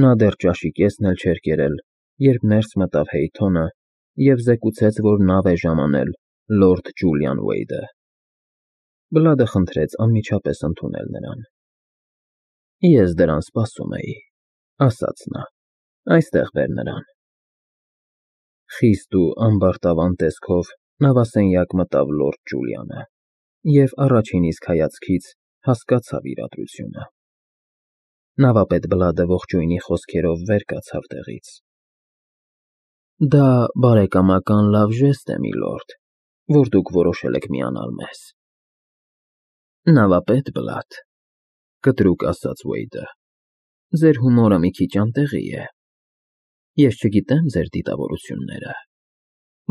Նա դեռ ճաշի կեսն էլ չէր կերել, երբ ներս մտավ Հեյթոնը և զեկուցեց, որ նավ է ժամանել լորդ Ջուլիան Ուեյդը։ Բլադը խնդրեց անմիջապես ընդունել նրան։ Ես դրան սպասում էի, ասաց նա, այստեղ բեր նրան։ Խիստ ու ամբարտավան տեսքով նավասենյակ մտավ լորդ Ջուլիանը և առաջին իսկ հայացքից հասկացավ իրադրությունը։ Նավապետ Բլադը ողջույնի խոսքերով վեր կացավ տեղից։ Դա բարեկամական լավ ժեստ է, միլորդ, որ դուք որոշել եք միանալ մեզ։ Նավապետ Բլադ, կտրուկ ասաց Ուեյդը, ձեր հումորը մի քիչ անտեղի է։ Ես չգիտեմ ձեր դիտավորությունները,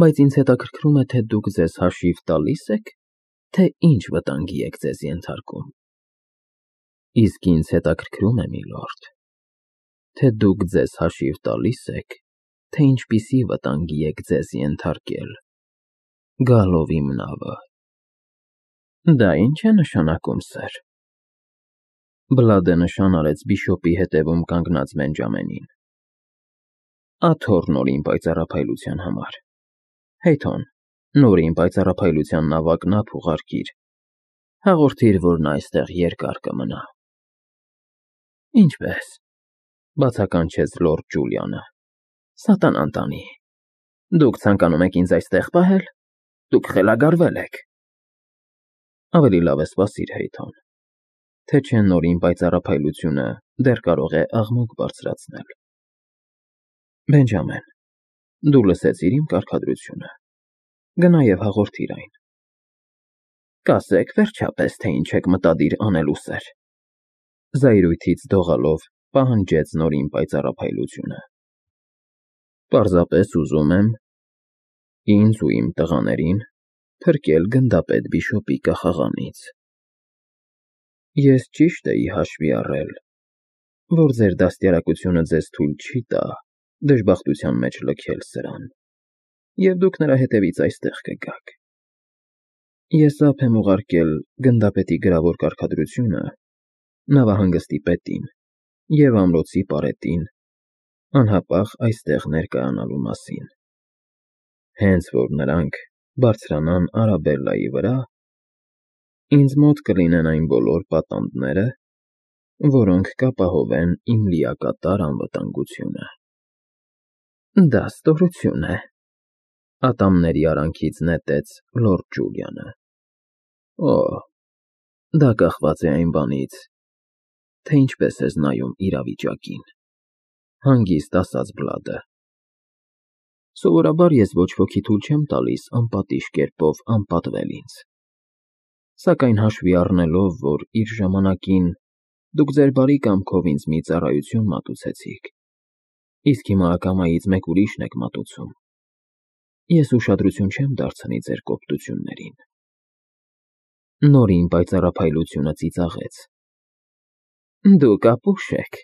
բայց ինձ հետաքրքրում է, թե դուք ձեզ հաշիվ տալի՞ս եք, թե ինչ վտանգի եք ձեզ ենթարկում։ Իսկ ինձ հետաքրքրում է, միլորդ, թե դուք ձեզ հաշիվ տալի՞ս եք, թե ինչպիսի վտանգի եք ձեզ ենթարկել գալով իմ նավը։ Դա ի՞նչ է նշանակում, սըր։ Բլադը նշան արեց բիշոպի հետևում կանգնած Բենջամենին։ Աթոռ նորին պայծառափայլության համար։ Հեյթոն, նորին պայծառափայլության նավակն ափ ուղարկիր։ Հաղորդիր, որ նա այստեղ երկար կմնա։ Ինչպե՞ս, բացականչեց լորդ Ջուլիանը։ Սատանան տանի։ Դուք ցանկանում եք ինձ այստեղ պահել։ Դուք խելագարվել եք։ Ավելի լավ է սպասիր, Հեյթոն, թե չէ նորին պայծառափայլությունը դեռ կարող է աղմուկ բարձրացնել։ Բենջամեն, դու լսեցիր իմ կարգադրությունը։ Գնա և հաղորդիր այն։ Կասեք վերջապես, թե ինչ եք մտադիր անելու, սըր։ Զայրույթից դողալով պահանջեց նորին պայծառափայլությունը։ Պարզապես ուզում եմ ինձ ու իմ տղաներին փրկել գնդապետ բիշոպի կախաղանից։ Ես ճիշտ էի հաշվի առել, որ ձեր դաստիարակությունը ձեզ թույլ չի տա դժբախտության մեջ լքել սրան, և դուք նրա հետևից այստեղ կգաք։ Ես ափ եմ ուղարկել գնդապետի գրավոր կարգադրությունը նավահանգստի պետին և ամրոցի պարետին անհապաղ այստեղ ներկայանալու մասին։ Հենց որ նրանք բարձրանան Արաբելլայի վրա, ինձ մոտ կլինեն այն բոլոր պատանդները, որոնք կապահովեն իմ լիակատար անվտանգությունը։ Դա ստորություն է, ատամների արանքից նետեց լորդ Ջուլիանը։ Օ, դա կախված է այն բանից, թե ինչպես ես նայում իրավիճակին, հանգիստ ասաց Բլադը։ Սովորաբար ես ոչ ոքի թույլ չեմ տալիս անպատիժ կերպով անպատվել ինձ։ Սակայն հաշվի առնելով, որ իր ժամանակին դուք ձեր բարի կամքով ինձ մի ծառայություն մատուցեցիք, իսկ հիմա ակամայից մեկ ուրիշն եք մատուցում, ես ուշադրություն չեմ դարձնի ձեր կոպտություններին։ Նորին պայծառափայլությունը ծիծաղեց։ Դուք ապուշ եք,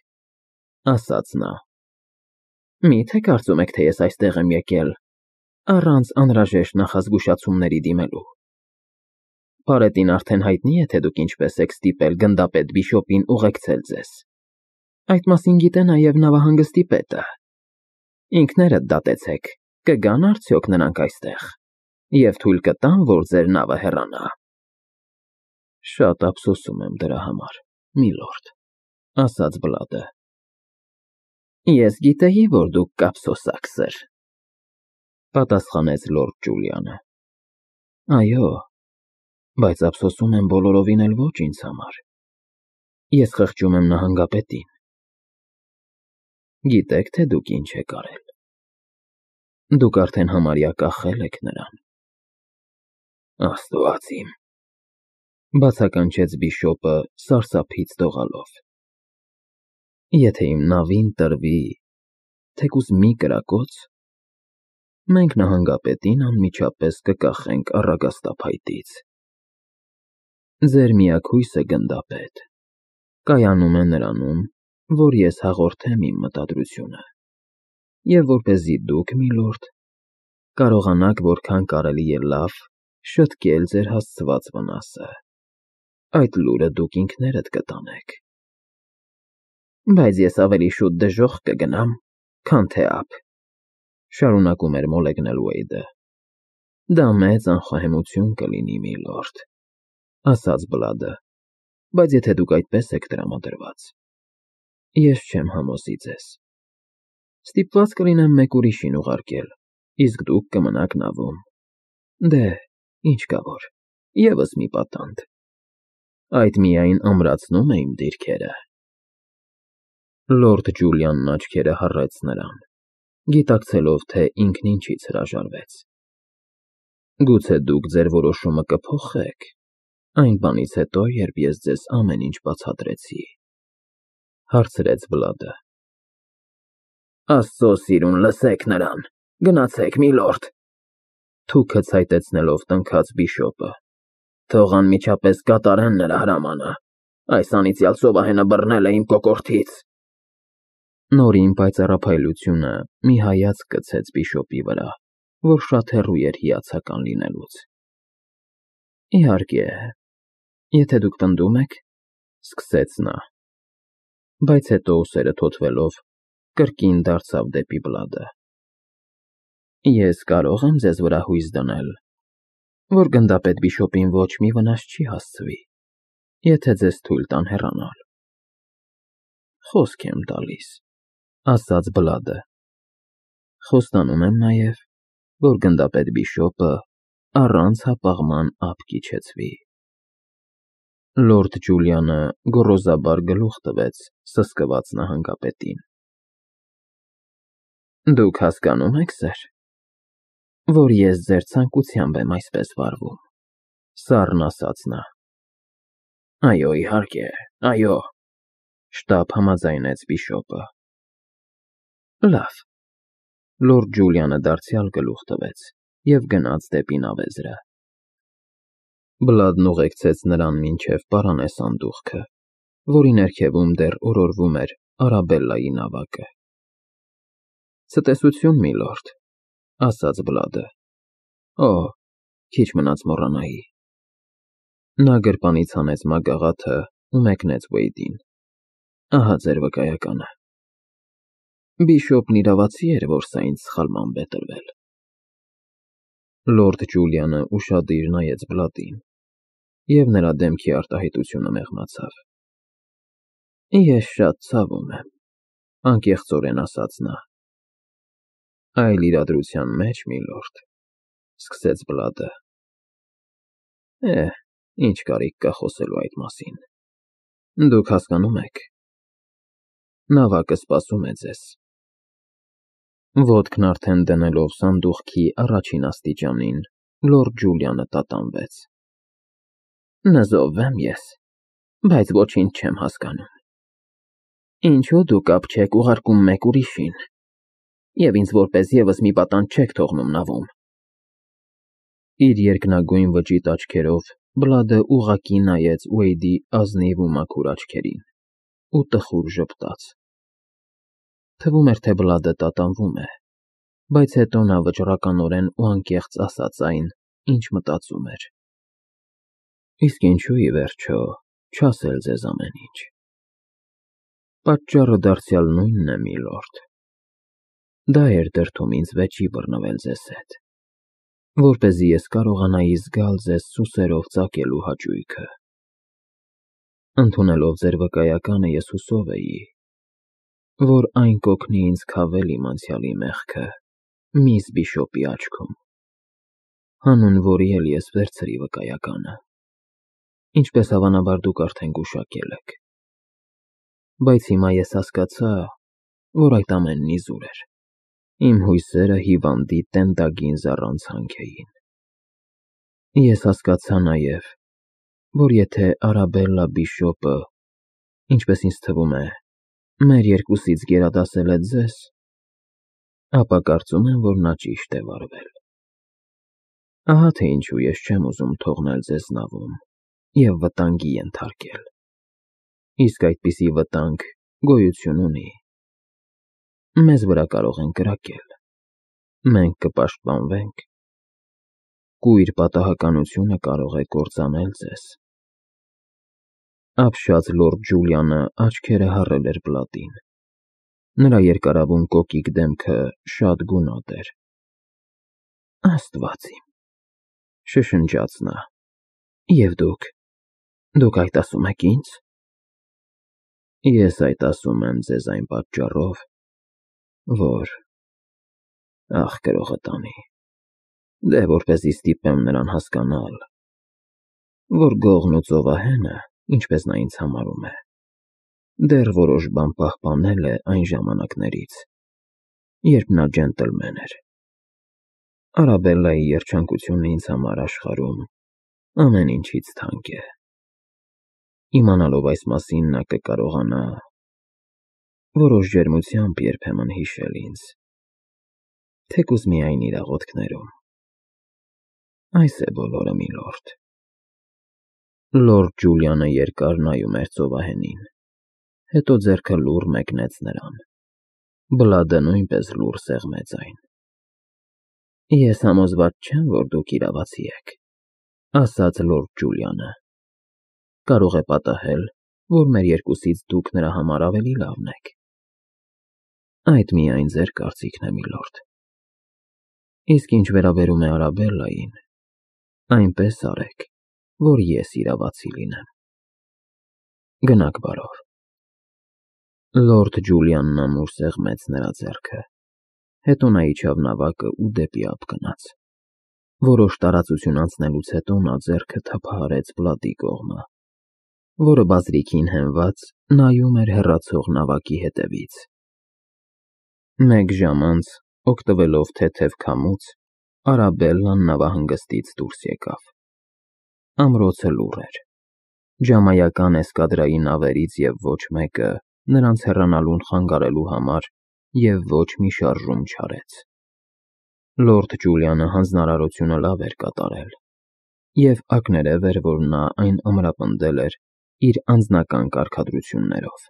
ասաց նա։ Մի՞թե կարծում եք, թե ես այստեղ եմ եկել առանց անհրաժեշտ նախազգուշացումների դիմելու։ Պարետին արդեն հայտնի է, թե դուք ինչպես եք ստիպել գնդապետ բիշոպին ուղեկցել ձեզ։ Այդ մասին գիտե նաև նավահանգստի պետը։ Ինքներդ դատեցեք, կգան արդյոք նրանք այստեղ և թույլ կտան, որ ձեր նավը հեռանա։ Շատ ափսոսում եմ դրա համար, միլորդ, ասաց Բլադը։ Ես գիտեի, որ դուք կափսոսակ, սըր, պատասխանեց լորդ Ջուլիանը։ Այո, բայց ափսոսում եմ բոլորովին էլ ոչ ինձ համար։ Ես խղճում եմ նահանգապետին։ Գիտեք, թե դուք ինչ եք արել։ Դուք արդեն համարյա կախել եք նրան։ Աստված իմ, բացականչեց բիշոպը սարսափից դողալով։ Եթե իմ նավին տրվի թեկուզ մի կրակոց, մենք նահանգապետին անմիջապես կկախենք առագաստափայտից։ Ձեր միակհույսը, գնդապետ, կայանում է նրանում, որ ես հաղորդեմ իմ մտադրությունը, և որպեսզի դուք, միլորդ, կարողանաք որքան կարելի է լավ շտկել ձեր հասցված վնասը, այդ լուրը դուք ինքներդ կտանեք։ Բայց ես ավելի շուտ դժոխք կգնամ, քան թե ափ, շարունակում էր մոլեգնել Ուեյդը։ Դա մեծ անխոհեմություն կլինի, միլորդ, ասաց Բլադը, բայց եթե դուք այդպես եք տրամադրված, ես չեմ համոզի ձեզ։ Ստիպված կլինեմ մեկ ուրիշին ուղարկել, իսկ դուք կմնաք նավում։ Դե, ինչ կա որ, ևս մի պատանդ։ Այդ միայն ամրացնում է իմ դիրքերը։ Լորդ Ջուլիանն աչքերը հառեց նրան, գիտակցելով, թե ինքն ինչից հրաժարվեց։ Գուցե դուք ձեր որոշումը կփոխեք այն բանից հետո, երբ ես ձեզ ամեն ինչ բացատրեցի, հարցրեց Բլադը։ Աստծո սիրուն, լսեք նրան, գնացեք, միլորդ, թուքը ցայտեցնելով տնքաց բիշոպը։ Թող անմիջապես կատարեն նրա հրամանը, այս անիծյալ ծովահենը բռնել է իմ կոկորդից։ Նորին պայծառափայլությունը մի հայացք գցեց բիշոպի վրա, որ շատ հեռու էր հիացական լինելուց։ Իհարկե, եթե դուք պնդում եք, սկսեց նա, բայց հետո ուսերը թոթվելով կրկին դարձավ դեպի Բլադը։ Ես կարող եմ ձեզ վրա հույս դնել, որ գնդապետ բիշոպին ոչ մի վնաս չի հասցվի, եթե ձեզ թույլ տան հեռանալ։ Խոսք եմ տալիս, ասաց Բլադը։ Խոստանում եմ նաև, որ գնդապետ բիշոպը առանց հապաղման ափ կիջեցվի։ Լորդ Ջուլիանը գոռոզաբար գլուխ տվեց սսկված նահանգապետին։ Դուք հասկանում եք, սեր, որ ես ձեր ցանկությամբ եմ այսպես վարվում, սառն ասաց նա։ Այո, իհարկե, այո, շտապ համաձայնեց բիշոպը։ Լավ։ Լորդ Ջուլիանը դարձյալ գլուխ տվեց և գնաց դեպի նավեզրը։ Բլադն ուղեկցեց նրան մինչև պարանե սանդուղքը, որի ներքևում դեռ օրորվում էր Արաբելլայի նավակը։ Ցտեսություն, միլորդ, ասաց Բլադը։ Օ, քիչ մնաց մոռանայի։ Նա գրպանից հանեց մագաղաթը ու մեկնեց Ուեյդին։ Ահա ձեր վկայականը։ Բիշոպն իրավացի էր, որ սա ինձ սխալմամբ է տրվել։ Լորդ Ջուլիանը ուշադիր նայեց Բլադին, և նրա դեմքի արտահայտությունը մեղմացավ։ Ես շատ ցավում եմ, անկեղծորեն ասաց նա։ Այլ իրադրության մեջ, միլորդ, սկսեց Բլադը։ Ինչ կարիք կա խոսելու այդ մասին։ Դուք հասկանում եք։ Նավակը սպասում է ձեզ։ Ոտքն արդեն դնելով սանդուղքի առաջին աստիճանին, լորդ Ջուլիանը տատանվեց։ Նզովվեմ ես, բայց ոչինչ չեմ հասկանում։ Ինչու դուք ափ չեք ուղարկում մեկ ուրիշին, և ինձ որպես ևս մի պատանդ չեք թողնում նավում։ Իր երկնագույն վճիտ աչքերով Բլադը ուղղակի նայեց Ուեյդի ազնիվ ու մաքուր աչքերին ու տխուր ժպտաց։ Թվում էր, թե Բլադը տատանվում է, բայց հետո նա վճռականորեն ու անկեղծ ասաց այն, ինչ մտածում էր։ Իսկ ինչու ի վերջո չասել ձեզ ամեն ինչ։ Պատճառը դարձյալ նույնն է, միլորդ։ Դա էր դրդում ինձ վեճի բռնվել ձեզ հետ, որպեսզի ես կարողանայի զգալ ձեզ սուսերով ծակելու հաճույքը։ Ընդունելով ձեր վկայականը, ես հուսով էի, որ այն կօգնի ինձ քավել իմ անցյալի մեղքը միս բիշոպի աչքում, հանուն որի էլ ես վերցրի վկայականը, ինչպես հավանաբար դուք արդեն գուշակել եք։ Բայց հիմա ես հասկացա, որ այդ ամենն իզուր էր։ Իմ հույսերը հիվանդի տենդագին զառանցանք էին։ Ես հասկացա նաև, որ եթե Արաբելլա բիշոպը, ինչպես ինձ թվում է, մեր երկուսից գերադասել է ձեզ, ապա կարծում եմ, որ նա ճիշտ է վարվել։ Ահա թե ինչու ես չեմ ուզում թողնել ձեզ նավում և վտանգի ենթարկել։ Իսկ այդպիսի վտանգ գոյություն ունի։ Մեզ վրա կարող են կրակել։ Մենք կպաշտպանվենք։ Կույր պատահականությունը կարող է կործանել ձեզ։ Ապշած լորդ Ջուլիանը աչքերը հառել էր պլատին։ Նրա երկարավուն կոկիկ դեմքը շատ գունատ էր։ Աստված իմ, շշնջաց նա։ Եվ դուք այդ ասում եք ինձ։ Ես այդ ասում եմ ձեզ այն պատճառով, որ ախ գրողը տանի, որպեսզի ստիպեմ նրան հասկանալ, որ գողն ու ծովահենը, ինչպես նա ինձ համարում է, դեռ որոշ բան պահպանել է այն ժամանակներից, երբ նա ջենտլմեն էր։ Արաբելլայի երջանկությունն ինձ համար աշխարհում ամեն ինչից թանկ է։ Իմանալով այս մասին նա կկարողանա որոշ ջերմությամբ երբեմն հիշել ինձ, թեկուզ միայն իր աղոթքներում։ Այս է բոլորը, միլորդ։ Լորդ Ջուլիանը երկար նայում էր ծովահենին, հետո ձեռքը լուռ մեկնեց նրան։ Բլադը նույնպես լուռ սեղմեց այն։ Ես համոզված չեմ, որ դուք իրավացի եք, ասաց լորդ Ջուլիանը։ Կարող է պատահել, որ մեր երկուսից դուք նրա համար ավելի լավն եք։ Այդ միայն ձեր կարծիքն է, միլորդ։ Իսկ ինչ վերաբերում է Արաբելլային, այնպես արեք, որ ես իրավացի լինեմ։ Գնաք բարով։ Լորդ Ջուլիանն ամուր սեղմեց նրա ձեռքը, հետո նա իջավ նավակը ու դեպի ափ գնաց։ Որոշ տարածություն անցնելուց հետո նա ձեռքը թափահարեց պլատի կողմը, որը բազրիքին հենված նայում էր հեռացող նավակի հետևից։ Մեկ ժամ անց, օգտվելով թեթև քամուց, Արաբելլան նավահանգստից դուրս եկավ։ Ամրոցը լուռ էր։ Ժամայական էսկադրայի նավերից և ոչ մեկը նրանց հեռանալուն խանգարելու համար և ոչ մի շարժում չարեց։ Լորդ Ջուլիանը հանձնարարությունը լավ էր կատարել, և ակներև էր, որ նա այն ամրապնդել էր իր անձնական կարգադրություններով։